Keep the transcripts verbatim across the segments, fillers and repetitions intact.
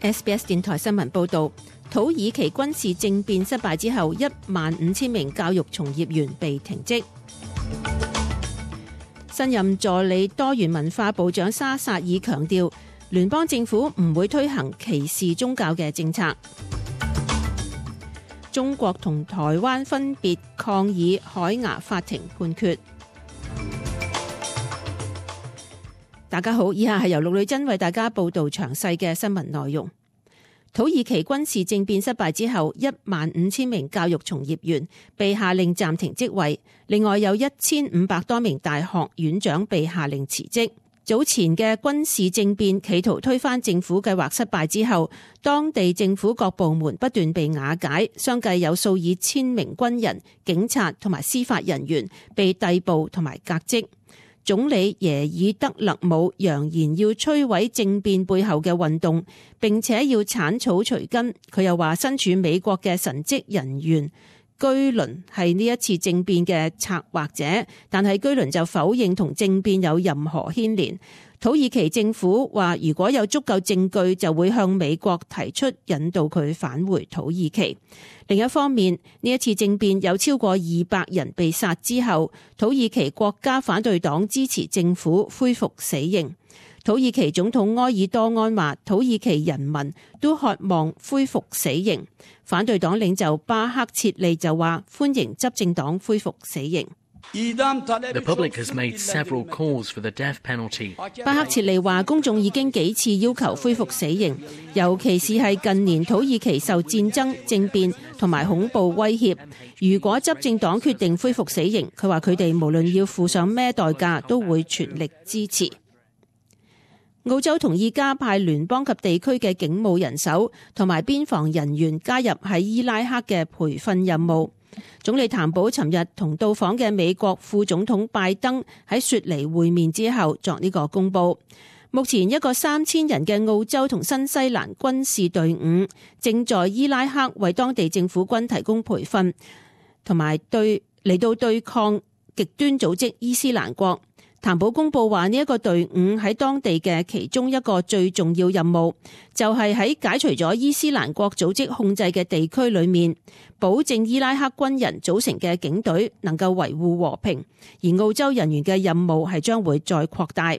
S B S 電台新聞報導，土耳其軍事政變失敗之後，一萬五千名教育從業員被停職。新任助理多元文化部長沙薩爾強調，聯邦政府唔會推行歧視宗教嘅政策。中國同台灣分別抗議海牙法庭判決。大家好，以下係由陸女珍為大家報道詳細嘅新聞內容。土耳其軍事政變失敗之後，一萬五千名教育從業員被下令暫停職位，另外有一千五百多名大學院長被下令辭職。早前嘅軍事政變企圖推翻政府計劃失敗之後，當地政府各部門不斷被瓦解，相繼有數以千名軍人、警察同埋司法人員被逮捕同埋革職。總理耶爾德勒姆揚言要摧毀政變背後嘅運動，並且要剷草除根。佢又話身處美國嘅神職人員居倫係呢一次政變嘅策劃者，但係居倫就否認同政變有任何牽連。土耳其政府話如果有足夠證據，就會向美國提出引導佢返回土耳其。另一方面，呢一次政變有超過二百人被殺之後，土耳其國家反對黨支持政府恢復死刑。土耳其總統埃爾多安話，土耳其人民都渴望恢復死刑。反對黨領袖巴克切利就話歡迎執政黨恢復死刑。The public has made several calls for the death penalty. 巴克切利話公眾已經幾次要求恢復死刑，尤其是係近年土耳其受戰爭、政變同埋恐怖威脅。如果執政黨決定恢復死刑，佢話佢哋無論要付上咩代價，都會全力支持。澳洲同意加派聯邦及地區嘅警務人手同埋邊防人員加入喺伊拉克嘅培訓任務。總理譚寶尋日同到訪嘅美國副總統拜登喺雪梨會面之後作呢個公佈。目前一個三千人嘅澳洲同新西蘭軍事隊伍正在伊拉克為當地政府軍提供培訓，同埋對嚟到對抗極端組織伊斯蘭國。譚寶公佈話呢一個隊伍喺當地嘅其中一個最重要任務，就係喺解除咗伊斯蘭國組織控制嘅地區裏面，保證伊拉克軍人組成嘅警隊能夠維護和平。而澳洲人員嘅任務係將會再擴大。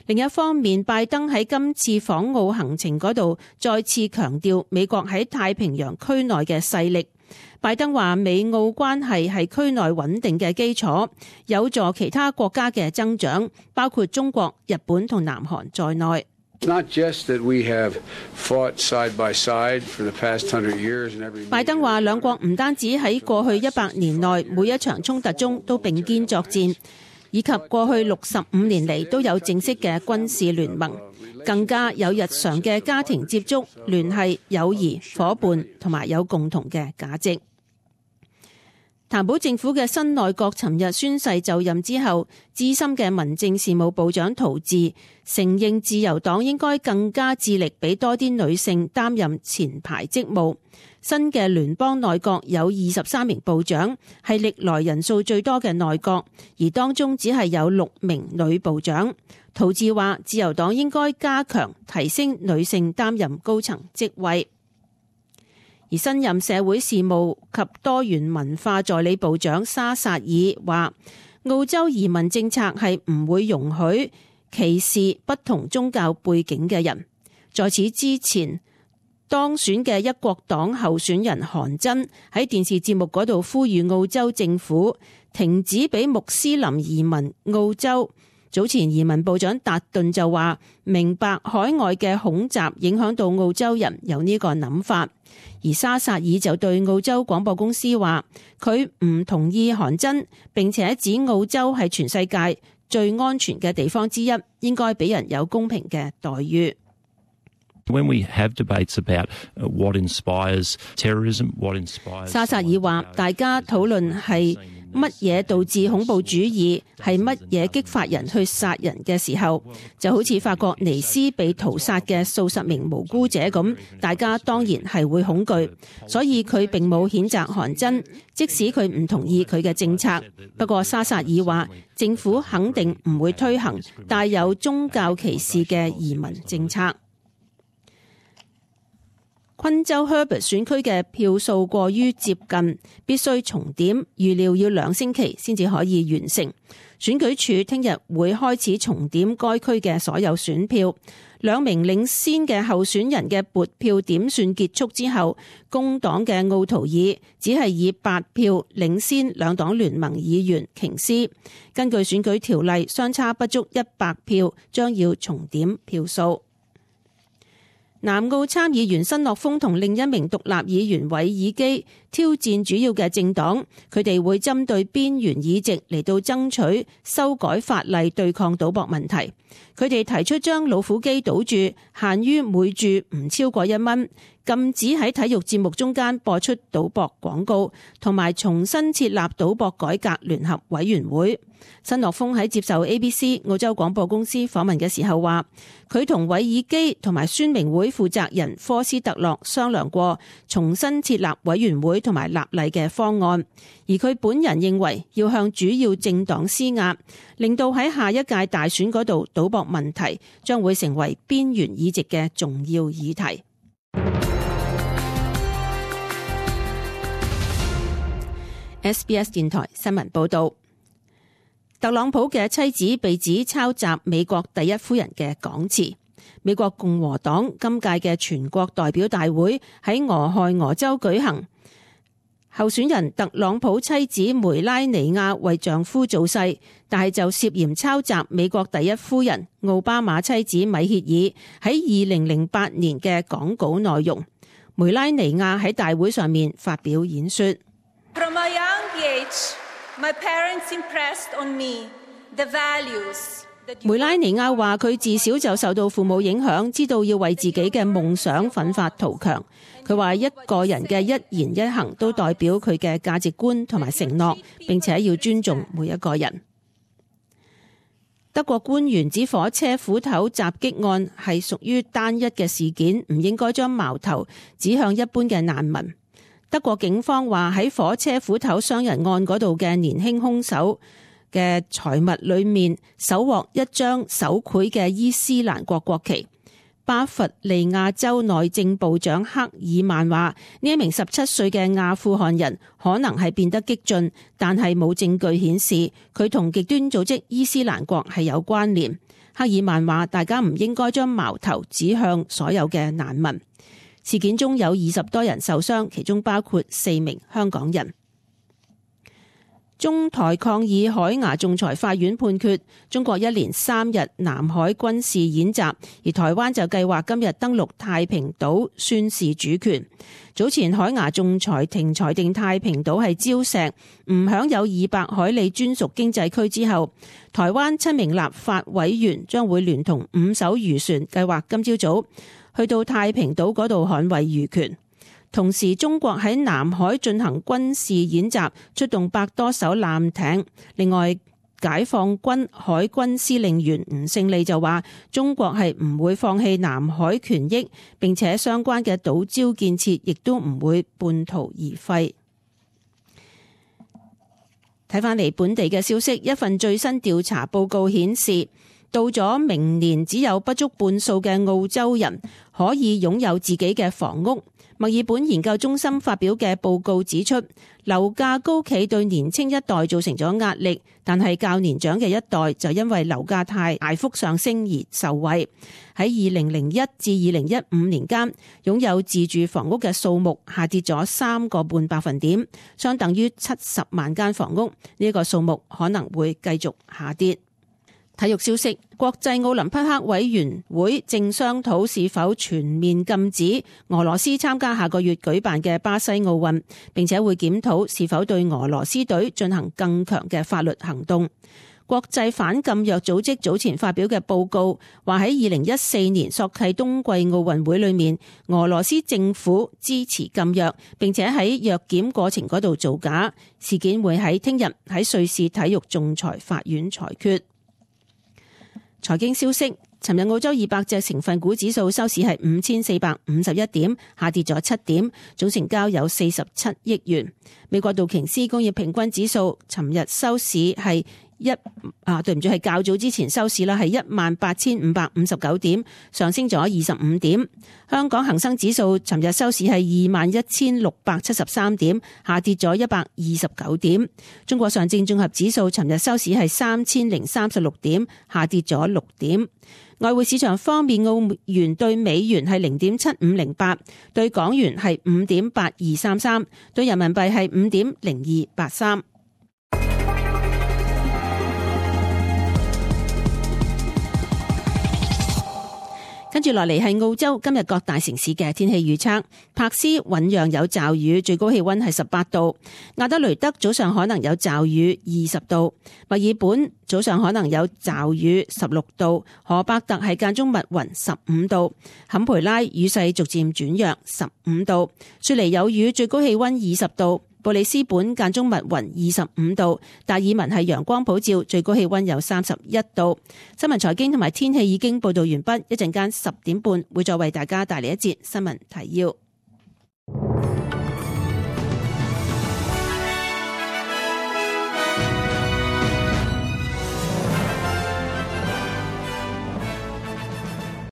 另一方面，拜登喺今次訪澳行程嗰度再次強調美國喺太平洋區內嘅勢力。拜登話美澳關係係區內穩定嘅基礎，有助其他國家嘅增長，包括中國、日本同南韓在內。拜登話兩國唔單止喺過去一百年內每一場衝突中都並肩作戰，以及過去六十五年嚟都有正式嘅軍事聯盟，更加有日常嘅家庭接觸、聯繫、友誼、夥伴同埋有共同嘅價值。譚寶政府嘅新內閣尋日宣誓就任之後，資深嘅民政事務部長陶治承認自由黨應該更加致力俾多啲女性擔任前排職務。新嘅聯邦內閣有二十三名部長，係歷來人數最多嘅內閣，而當中只係有六名女部長。陶治話自由黨應該加強提升女性擔任高層職位。而新任社會事務及多元文化助理部長沙薩爾話，澳洲移民政策係唔會容許歧視不同宗教背景嘅人。在此之前，當選嘅一國黨候選人韓真喺電視節目嗰度呼籲澳洲政府停止俾穆斯林移民澳洲。早前移民部長達頓就話明白海外嘅恐襲影響到澳洲人有呢個諗法，而沙薩爾就對澳洲廣播公司話佢唔同意韓真，並且指澳洲係全世界最安全嘅地方之一，應該俾人有公平嘅待遇。When we have debates about what inspires terrorism, what inspires... 沙薩爾話大家討論係乜嘢導致恐怖主義，係乜嘢激發人去殺人嘅時候，就好似法國尼斯被屠殺嘅數十名無辜者咁，大家當然係會恐懼。所以佢並冇譴責韓真，即使佢唔同意佢嘅政策。不過沙薩爾話政府肯定唔會推行帶有宗教歧視嘅移民政策。昆州 Herbert 選區嘅票數過於接近，必須重點，預料要兩星期先至可以完成。選舉處聽日會開始重點該區嘅所有選票。兩名領先嘅候選人嘅撥票點算結束之後，工黨嘅奧圖爾只係以八票領先兩黨聯盟議員瓊斯。根據選舉條例，相差不足一百票，將要重點票數。南澳參議員申諾峰同另一名獨立議員韋爾基挑戰主要嘅政黨，佢哋會針對邊緣議席嚟到爭取修改法例對抗賭博問題。佢哋提出將老虎機賭注限於每注唔超過一蚊，禁止喺體育節目中間播出賭博廣告，同埋重新設立賭博改革聯合委員會。申諾峰喺接受 A B C 澳洲廣播公司訪問嘅時候話，佢同韋爾基同埋宣明會負責人科斯特洛商量過重新設立委員會同埋立例嘅方案，而佢本人認為要向主要政黨施壓，令到喺下一屆大選嗰度賭博問題將會成為邊緣議席嘅重要議題。S B S 電台新聞報道。特朗普嘅妻子被指抄襲美國第一夫人嘅講辭。美國共和黨今屆嘅全國代表大會喺俄亥俄州舉行，候選人特朗普妻子梅拉尼亞為丈夫造勢，但係就涉嫌抄襲美國第一夫人奧巴馬妻子米歇爾喺二零零八年嘅講稿內容。梅拉尼亞喺大會上面發表演說。From a young age, my parents impressed on me the values. 梅拉尼亞話佢自小就受到父母影響，知道要為自己嘅夢想奮發圖強。佢話一個人嘅一言一行都代表佢嘅價值觀同埋承諾，並且要尊重每一個人。德國官員指火車斧頭襲擊案係屬於單一嘅事件，唔應該將矛頭指向一般嘅難民。德國警方話喺火車斧頭傷人案嗰度嘅年輕兇手嘅財物裏面搜獲一張手繪嘅伊斯蘭國國旗。巴伐利亞州內政部長克爾曼話呢一名十七歲嘅阿富汗人可能係變得激進，但係冇證據顯示佢同極端組織伊斯蘭國係有關聯。克爾曼話大家唔應該將矛頭指向所有嘅難民。事件中有二十多人受傷，其中包括四名香港人。中台抗議海牙仲裁法院判決，中國一連三日南海軍事演習，而台灣就計劃今日登陸太平島宣示主權。早前海牙仲裁庭裁定太平島係礁石，唔享有二百海里專屬經濟區之後，台灣七名立法委員將會聯同五艘漁船，計劃今朝早去到太平島嗰度捍衛漁權。同時，中國喺南海進行軍事演習，出動百多艘艦艇。另外，解放軍海軍司令員吳勝利就話，中國係唔會放棄南海權益，並且相關嘅島礁建設亦都唔會半途而廢。睇返嚟本地嘅消息，一份最新調查報告顯示，到咗明年只有不足半數嘅澳洲人可以擁有自己嘅房屋。墨爾本研究中心發表嘅報告指出，樓價高企對年輕一代造成咗壓力，但係較年長嘅一代就因為樓價太大幅上升而受惠。喺二零零一至二零一五年間，擁有自住房屋嘅數目下跌咗三個半百分點，相等於七十萬間房屋。呢個數目可能會繼續下跌。體育消息，國際奧林匹克委員會正商討是否全面禁止俄羅斯參加下個月舉辦嘅巴西奧運，並且會檢討是否對俄羅斯隊進行更強嘅法律行動。國際反禁藥組織早前發表嘅報告話，喺二零一四年索契冬季奧運會裏面，俄羅斯政府支持禁藥，並且喺藥檢過程嗰度造假。事件會喺聽日喺瑞士體育仲裁法院裁決。財經消息，尋日澳洲二百隻成分股指數收市係五千四百五十一點，下跌咗七點，總成交有四十七億元。美國道瓊斯工業平均指數尋日收市係一啊，對唔住，係較早之前收市啦，係一萬八千五百五十九點，上升咗二十五點。香港恒生指數尋日收市係二萬一千六百七十三點，下跌咗一百二十九點。中國上證綜合指數尋日收市係三千零三十六點，下跌咗六點。外匯市場方面，澳元對美元係零點七五零八，對港元係五點八二三三，對人民幣係五點零二八三。跟住落嚟係澳洲今日各大城市嘅天氣預測。柏斯醞釀有驟雨，最高氣溫係十八度；亞德雷德早上可能有驟雨，二十度；墨爾本早上可能有驟雨，十六度；荷伯特係間中密雲，十五度；坎培拉雨勢逐漸轉弱，十五度；雪梨有雨，最高氣溫二十度；布里斯本間中密雲，二十五度；達爾文係陽光普照，最高氣溫有三十一度。新聞財經同埋天氣已經報道完畢，一陣間十點半會再為大家帶嚟一節新聞提要。